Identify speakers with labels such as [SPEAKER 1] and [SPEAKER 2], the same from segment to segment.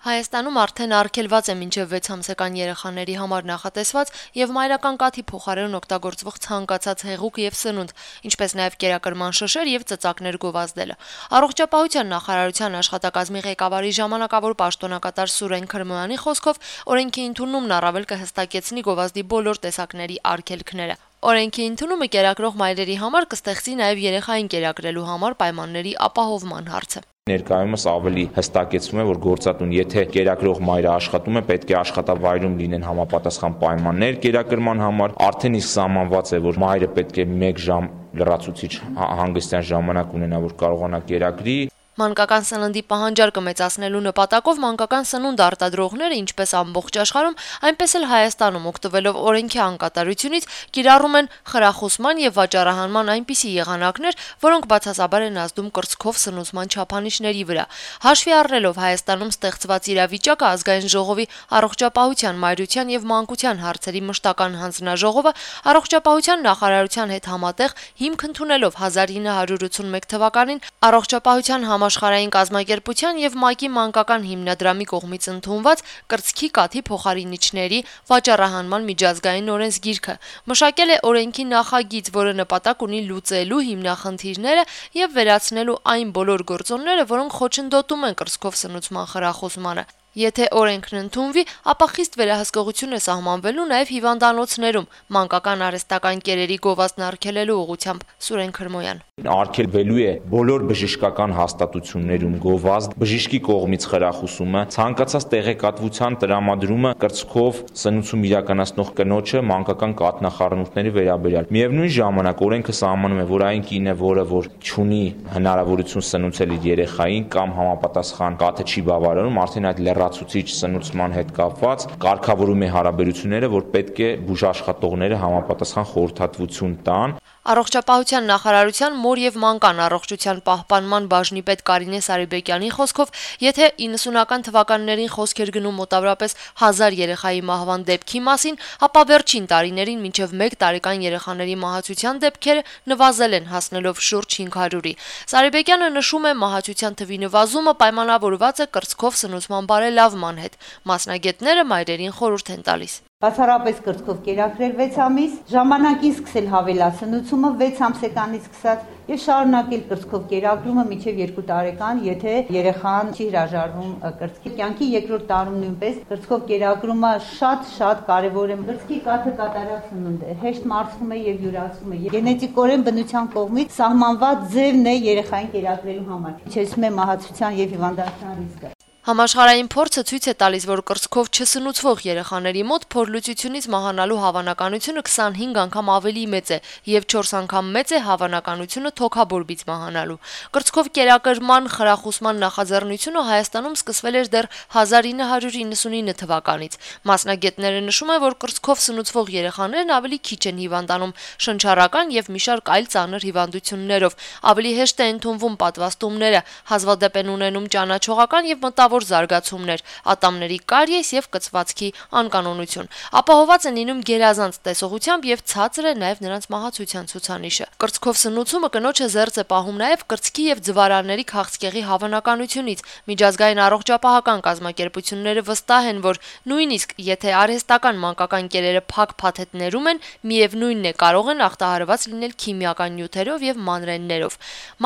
[SPEAKER 1] Հայաստանում արդեն արգելված է մինչև 6 ամսական երեխաների համար նախատեսված եւ մայրական կաթի փոխարեն օգտագործվող ցանկացած հեղուկ եւ սնունդ, ինչպես նաեւ կերակրման շշեր եւ ծծակներ գովազդելը։ Առողջապահության նախարարության աշխատակազմի ղեկավարի ժամանակավոր պաշտոնակատար Սուրեն Քրմոյանի խոսքով օրենքի ընդունումն առավել կհստակեցնի գովազդի բոլոր տեսակների արգելքները։ Օրենքի ընդունումը կերակրող մայրերի համար կստեղծի նաեւ երեխային կերակրելու համար պայմանների ապահովման հարցը։
[SPEAKER 2] Ներկայումս ավելի հստակեցվում է, որ գործատուն, եթե կերակրող մայրը աշխատում է, պետք է աշխատավայրում լինեն համապատասխան պայմաններ կերակրման համար, արդեն իսկ սահմանված է, որ մայրը պետք է 1 ժամ լրացուցիչ հանգստյան ժամանակ ունենա, որ կարողանա կերակրի։
[SPEAKER 1] Մանկական սննդի պահանջարկը մեծացնելու նպատակով մանկական սնունդ արտադրողները, ինչպես ամբողջ աշխարհում, այնպես էլ Հայաստանում, օգտվելով օրենքի անկատարությունից, կիրառում են խրախուսման եւ վաճառահանման այնպիսի եղանակներ, որոնք բացասաբար են ազդում կրծքով սնուցման չափանիշների վրա։ Հաշվի առնելով Հայաստանում ստեղծված իրավիճակը, Ազգային ժողովի առողջապահության, մայրության եւ մանկության հարցերի մշտական հանձնաժողովը առողջապահության նախարարության հետ համատեղ հիմք ընդունելով 1981 թվականին առողջապահության Համաշխարհային կազմակերպության եւ ՄԱԿ-ի մանկական հիմնադրամի կողմից ընդունված կրծքի կաթի փոխարինիչների վաճառահանման միջազգային օրենսգիրքը, մշակել է օրենքի նախագիծ, որը նպատակ ունի լուծելու հիմնախնդիրները եւ վերացնելու այն բոլոր գործոնները, որոնք խոչընդոտում են կրծքով սնուցման խրախուսմանը։ Եթե օրենքն ընդունվի, ապա խիստ վերահսկողություն է սահմանվելու նաև հիվանդանոցներում մանկական արհեստական կերերի գովազդն արգելելու ուղղությամբ Սուրեն Քրմոյան։
[SPEAKER 2] Արգելվելու է բոլոր բժշկական հաստատություններում գովազդ, բժշկի կողմից խրախուսումը, ցանկացած տեղեկատվության տրամադրումը կրծքով սնուցում իրականացնող կնոջը մանկական կաթնախառնուրդների վերաբերյալ։ Միևնույն ժամանակ օրենքը սահմանում է, որ այն կինը, որը չունի հնարավորություն սնուցել իր երեխային կամ համապատասխան կաթը չի բավարարում, արդեն այդ լրացուցիչ սնուցման հետ կապված կարգավորում է հարաբերությունները, որ պետք է բուժաշխատողները համապատասխան խորհրդատվություն տան։
[SPEAKER 1] Առողջապահության նախարարության մոր եւ մանկան առողջության պահպանման բաժնի պետ Կարինե Սարիբեկյանի խոսքով, եթե 90-ական թվականներին խոսք էր գնում մոտավորապես 1000 երեխայի մահվան դեպքի մասին, ապա վերջին տարիներին մինչև 1 տարեկան երեխաների մահացության դեպքերը նվազել են, հասնելով շուրջ 500-ի։ Սարիբեկյանը նշում է, մահացության թվի նվազումը պայմանավորված է կրծքով սնուցման բարելավման հետ։ Մասնագետները մայրերին խորհուրդ են տալիս։
[SPEAKER 3] Բացառապես կրծքով կերակրել 6 ամիս, ժամանակին սկսել հավելասնուցումը 6 ամսեկանից սկսած եւ շարունակել կրծքով կերակրումը մինչեւ 2 տարեկան, եթե երեխան չի հրաժարվում կրծքի։ Կյանքի երկրորդ տարում նույնպես կրծքով կերակրումը շատ կարեւոր է։ Կրծքի կաթը կատարյալ սնունդ է, հեշտ մարսվում է եւ յուրացվում է։ Գենետիկորեն բնության կողմից սահմանված ձևն է երեխային կերակրելու համար։ Իջեցնում է մահացության եւ հիվանդանության ռիսկը։
[SPEAKER 1] Համաշխարհային փորձը ցույց է տալիս, որ կրծքով չսնուցվող երեխաների մոտ փորլուծությունից մահանալու հավանականությունը 25 անգամ ավելի մեծ է եւ 4 անգամ մեծ է հավանականությունը թոքաբորբից մահանալու։ Կրծքով կերակրման խրախուսման նախաձեռնությունը Հայաստանում սկսվել էր դեռ 1999 թվականից։ Մասնագետները նշում են, որ կրծքով սնուցվող երեխաներն ավելի քիչ են հիվանդանում շնչառական եւ մի շարք այլ ծանր հիվանդություններով, ավելի հեշտ է ընդունվում պատվաստումները, հազվադեպ են ունենում ճանաչողական եւ մտավոր զարգացումներ, ատամների կարիես եւ կծվածքի անկանոնություն։ Ապահոված են լինում գերազանց տեսողությամբ եւ ցածր է նաեւ նրանց մահացության ցուցանիշը։ Կրծքով սնուցումը կնոջը զերծ է պահում նաեւ կրծքի եւ ձվարանների քաղցկեղի հավանականությունից։ Միջազգային առողջապահական կազմակերպությունները վստահ են, որ նույնիսկ եթե արհեստական մանկական կերերը փակ փաթեթներում են, միևնույնն է կարող են ախտահարված լինել քիմիական նյութերով եւ մանրէներով։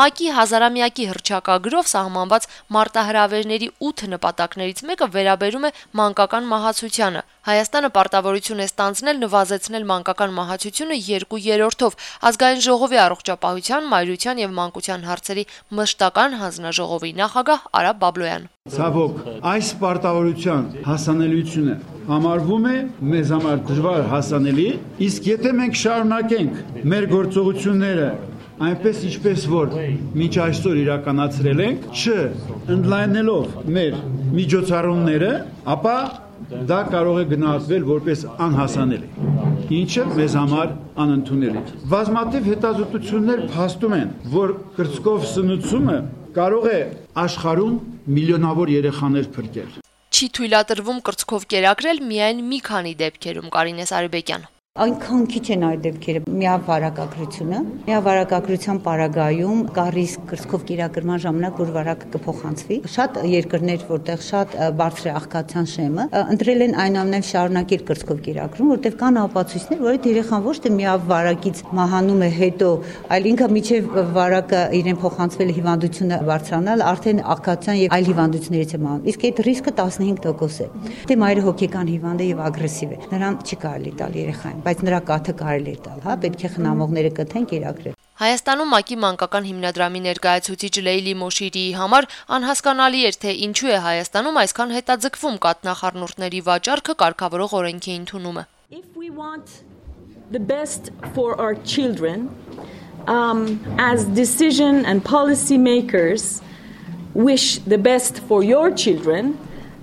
[SPEAKER 1] ՄԱԿ-ի հազարամյակի հռչակագրով սահմանված մարտահրավերների 8 նպատակներից մեկը վերաբերում է մանկական մահացությանը։ Հայաստանը պարտավորություն է ստանձնել նվազեցնել մանկական մահացությունը 2/3-ով Ազգային ժողովի առողջապահության, մայրության եւ մանկության հարցերի մշտական հանձնաժողովի նախագահ Արա Բաբլոյան։
[SPEAKER 4] Ցավոք, այս պարտավորության հասանելիությունը համարվում է մեզ համար դժվար հասանելի, իսկ եթե մենք շարունակենք մեր գործողությունները այնպես ինչպես որ մինչ այսօր իրականացրել ենք, չընդլայնելով մեր միջոցառումները, ապա դա կարող է գնահատվել որպես անհասանելի, ինչը մեզ համար անընդունելի։ Բազմաթիվ հետազոտություններ փաստում են, որ կրծքով սնուցումը կարող է աշխարհում միլիոնավոր երեխաներ փրկել։
[SPEAKER 1] Չի թույլատրվում կրծքով կերակրել միայն մի քանի դեպքերում, Կարինե Սարիբեկյան։
[SPEAKER 3] Այնքան քիչ են այդ դեպքերը, միավարակագրության պարագայում կա ռիսկ կրծքով կերակրման ժամանակ, որ վարակը կփոխանցվի։ Շատ երկրներ, որտեղ շատ բարձր է աղքատության շեմը, ընտրել են այնուամենայնիվ շարունակել կրծքով կերակրում, որտեղ կան ապացույցներ, որ այդ երեխան ոչ թե միավարակից մահանում է հետո, այլ ինքը միջև վարակը իրեն փոխանցվել հիվանդությունը բարձրանալ, արդեն աղքատության եւ այլ հիվանդություններից է մահանում։ Իսկ այդ ռիսկը 15% է։ Դե մայրը հոգեկան հիվանդ է եւ ագրեսիվ է։ Նրան չի կարելի տալ երեխային, բայց նրա կաթը կարելի է տալ, պետք է խնամողները կթեն կերակրել։
[SPEAKER 1] Հայաստանում ՄԱԿ-ի մանկական հիմնադրամի ներկայացուցիչ Լեյլի Մոշիրիի համար անհասկանալի էր, թե ինչու է Հայաստանում այսքան հետաձգվում կաթնախառնուրդների վաճառքը կարգավորող օրենքի ընդունումը։
[SPEAKER 5] If we want the best for our children, as decision and policy makers wish the best for your children,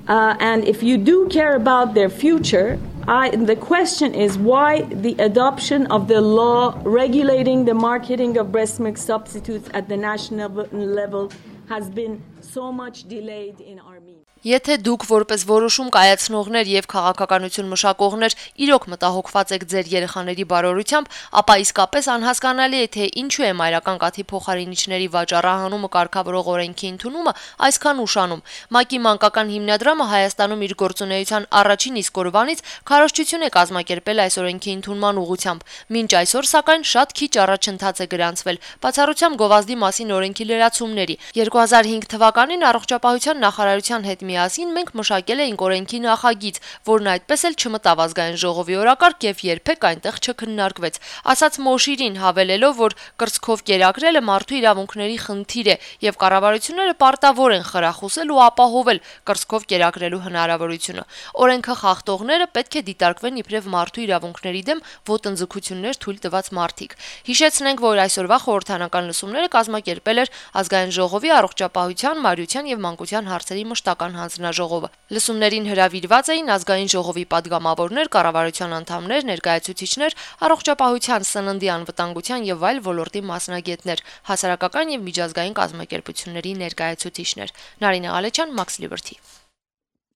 [SPEAKER 5] and if you do care about their future, the question is why the adoption of the law regulating the marketing of breast milk substitutes at the national level has been so much delayed in our means.
[SPEAKER 1] Եթե դուք որպես որոշում կայացնողներ եւ քաղաքականություն մշակողներ իրոք մտահոգված եք ձեր երեխաների բարօրությամբ, ապա իսկապես անհասկանալի է, թե ինչու է մայրական կաթի փոխարինիչների վաճառահանումը կարգավորող օրենքի ընդունումը այսքան ուշանում։ ՄԱԿ-ի մանկական հիմնադրամը Հայաստանում իր գործունեության առաջին իսկ օրվանից քարոզչություն է կազմակերպել այս օրենքի ընդունման ուղղությամբ։ Մինչ այսօր, սակայն, շատ քիչ առաջընթաց է գրանցվել, բացառությամբ գովազդի մասին օրենքի լրացումների։ 2005 թվականին առողջապահության նախարարության հետ միասին մենք մշակել էինք օրենքի նախագիծ, որն այդպես էլ չմտավ ազգային ժողովի օրակարգ եւ երբեք այնտեղ չքննարկվեց։ Ասաց Մոշիրին, հավելելով, որ կրծքով կերակրելը մարդու իրավունքների խնդիր է եւ կառավարությունները պարտավոր են խրախուսել ու ապահովել կրծքով կերակրելու հնարավորությունը։ Օրենքը խախտողները պետք է դիտարկվեն իբրև մարդու իրավունքների դեմ ոտնձգություններ թույլ տված մարդիկ։ Հիշեցնենք, որ այսօրվա խորհրդանական լսումները կազմակերպել էր ազգային ժողովի առողջապահության, մարյության եւ մանկության հարցերի մշտական հանձնաժողովը։ Լսումներին հրավիրված էին ազգային ժողովի падգամավորներ, կառավարության անդամներ, ներկայացուցիչներ, առողջապահության, սննդի անվտանգության եւ այլ ոլորտի մասնագետներ, հասարակական եւ միջազգային կազմակերպությունների ներկայացուցիչներ։ Նարինե Ղալեչյան, Max Liberty։